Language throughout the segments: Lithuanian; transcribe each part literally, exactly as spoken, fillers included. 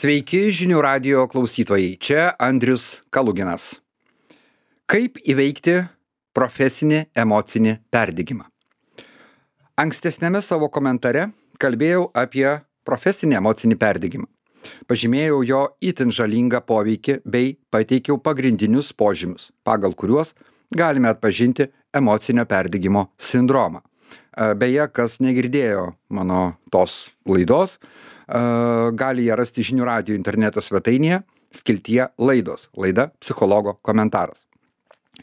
Sveiki žinių radijo klausytojai, čia Andrius Kaluginas. Kaip įveikti profesinį emocinį perdegimą? Ankstesnėme savo komentare kalbėjau apie profesinį emocinį perdegimą. Pažymėjau jo itin žalingą poveikį bei pateikiau pagrindinius požymius, pagal kuriuos galime atpažinti emocinio perdegimo sindromą. Beje, kas negirdėjo mano tos laidos, gali ją rasti žinių radijo interneto svetainėje, skiltyje laidos, laida psichologo komentaras.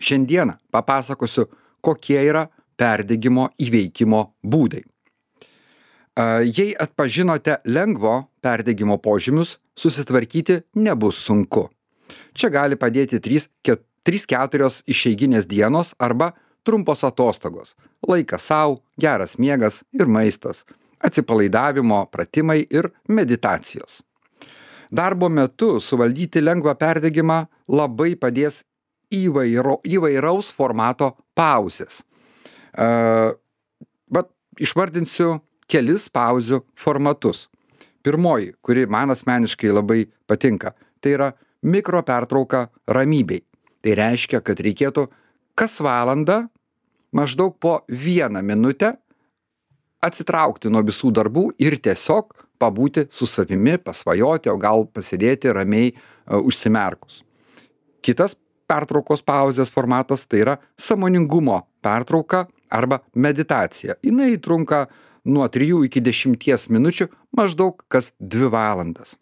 Šiandieną papasakosiu, kokie yra perdegimo įveikimo būdai. Jei atpažinote lengvo perdegimo požymius, susitvarkyti nebus sunku. Čia gali padėti trys keturios išeiginės dienos arba trumpos atostogos, laikas sau, geras miegas ir maistas, atsipalaidavimo pratimai ir meditacijos. Darbo metu suvaldyti lengvą perdegimą labai padės įvairo, įvairaus formato pauzės. Uh, bet išvardinsiu kelis pauzių formatus. Pirmoji, kuri man asmeniškai labai patinka, tai yra mikro pertrauka ramybei. Tai reiškia, kad reikėtų kas valandą maždaug po vieną minutę atsitraukti nuo visų darbų ir tiesiog pabūti su savimi, pasvajoti, o gal pasėdėti ramiai uh, užsimerkus. Kitas pertraukos pauzės formatas tai yra sąmoningumo pertrauka arba meditacija. Jinai trunka nuo trijų iki dešimties minučių, maždaug kas dvi valandas.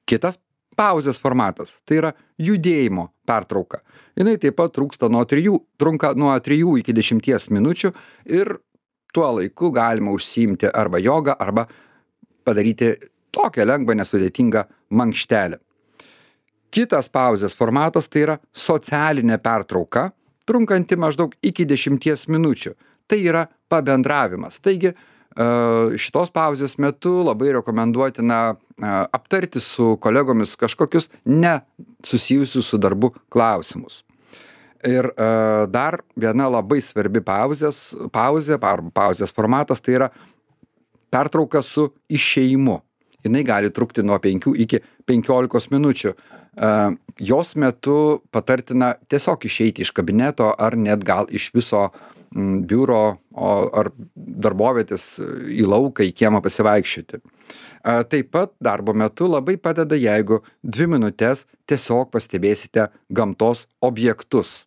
Kitas pauzės formatas tai yra judėjimo pertrauka. Jinai taip pat trūksta nuo trijų, trunka nuo trijų iki dešimties minučių ir tuo laiku galima užsiimti arba jogą, arba padaryti tokią lengvą, nesudėtingą mankštelę. Kitas pauzės formatas tai yra socialinė pertrauka, trunkanti maždaug iki dešimties minučių. Tai yra pabendravimas. Taigi šitos pauzės metu labai rekomenduotina aptarti su kolegomis kažkokius nesusijusius su darbu klausimus. Ir dar viena labai svarbi pauzės, pauzė, pauzės formatas tai yra pertrauka su išėjimu. Jinai gali trukti nuo penkių iki penkiolikos minučių. Jos metu patartina tiesiog išeiti iš kabineto ar net gal iš viso biuro ar darbovietės į lauką, į kiemą pasivaikščioti. Taip pat darbo metu labai padeda, jeigu dvi minutės tiesiog pastebėsite gamtos objektus.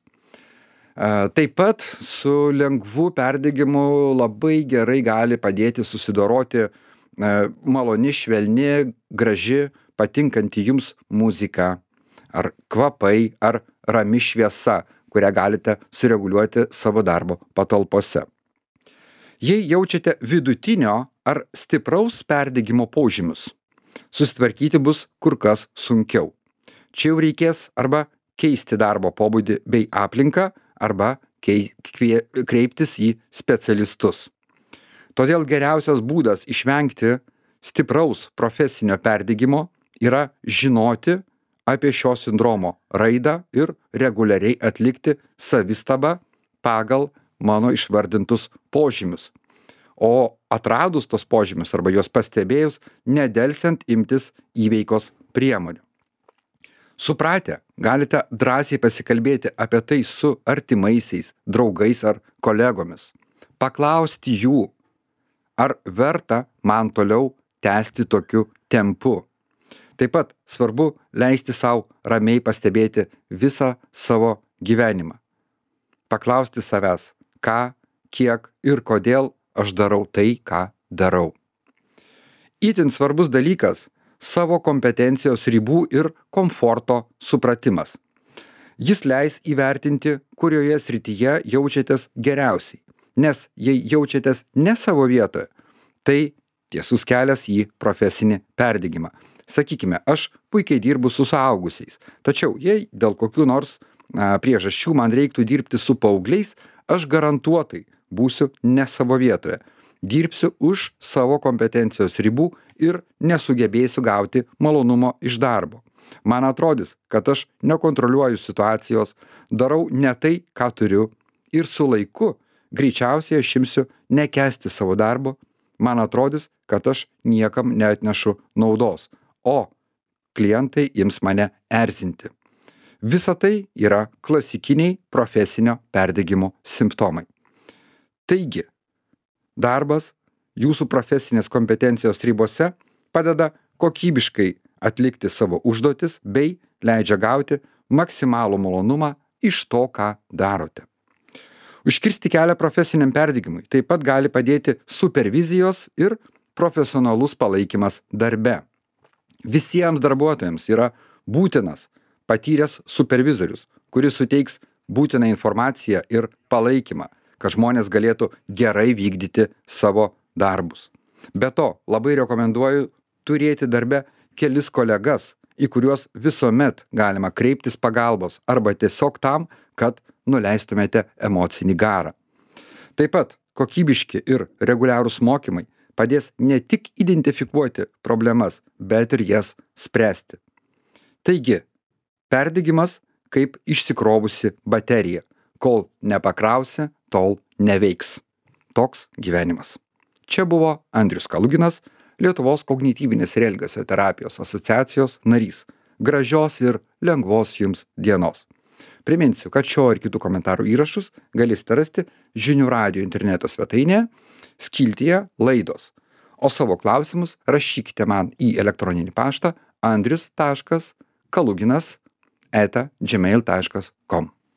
Taip pat su lengvu perdegimu labai gerai gali padėti susidoroti maloni, švelni, graži, patinkanti jums muzika, ar kvapai, ar rami šviesa, kurią galite sureguliuoti savo darbo patalpose. Jei jaučiate vidutinio ar stipraus perdegimo požymius, susitvarkyti bus kur kas sunkiau. Čia jau reikės arba keisti darbo pobūdį bei aplinką, arba kreiptis į specialistus. Todėl geriausias būdas išvengti stipraus profesinio perdegimo yra žinoti apie šio sindromo raidą ir reguliariai atlikti savistabą pagal mano išvardintus požymius. O atradus tos požymius arba juos pastebėjus, nedelsiant imtis įveikos priemonių. Supratę, galite drąsiai pasikalbėti apie tai su artimaisiais, draugais ar kolegomis. Paklausti jų, ar verta man toliau tęsti tokiu tempu. Taip pat svarbu leisti sau ramiai pastebėti visą savo gyvenimą. Paklausti savęs, ką, kiek ir kodėl aš darau tai, ką darau. Itin svarbus dalykas – savo kompetencijos ribų ir komforto supratimas. Jis leis įvertinti, kurioje srityje jaučiatės geriausiai. Nes jei jaučiatės ne savo vietoje, tai tiesus kelias į profesinį perdegimą. Sakykime, aš puikiai dirbu su suaugusiais, tačiau jei dėl kokių nors a, priežasčių man reiktų dirbti su paaugliais, aš garantuotai būsiu ne savo vietoje. Dirbsiu už savo kompetencijos ribų ir nesugebėsiu gauti malonumo iš darbo. Man atrodys, kad aš nekontroliuoju situacijos, darau ne tai, ką turiu ir su laiku greičiausiai aš imsiu nekęsti savo darbo, man atrodys, kad aš niekam neatnešu naudos. O klientai ims mane erzinti. Visa tai yra klasikiniai profesinio perdegimo simptomai. Taigi, darbas jūsų profesinės kompetencijos ribose padeda kokybiškai atlikti savo užduotis bei leidžia gauti maksimalų malonumą iš to, ką darote. Užkirsti kelią profesiniam perdegimui taip pat gali padėti supervizijos ir profesionalus palaikymas darbe. Visiems darbuotojams yra būtinas patyręs supervizorius, kuris suteiks būtiną informaciją ir palaikymą, kad žmonės galėtų gerai vykdyti savo darbus. Be to, labai rekomenduoju turėti darbe kelis kolegas, į kuriuos visuomet galima kreiptis pagalbos arba tiesiog tam, kad nuleistumėte emocinį garą. Taip pat kokybiški ir reguliarūs mokymai padės ne tik identifikuoti problemas, bet ir jas spręsti. Taigi, perdegimas kaip išsikrovusi baterija. Kol nepakrausi, tol neveiks. Toks gyvenimas. Čia buvo Andrius Kaluginas, Lietuvos kognityvinės ir elgesio terapijos asociacijos narys. Gražios ir lengvos jums dienos. Priminsiu, kad šio ir kitų komentarų įrašus galėsite rasti Žinių radijo interneto svetainėje, skiltyje laidos. O savo klausimus rašykite man į elektroninį paštą andrius taškas kaluginas eta gmail taškas com.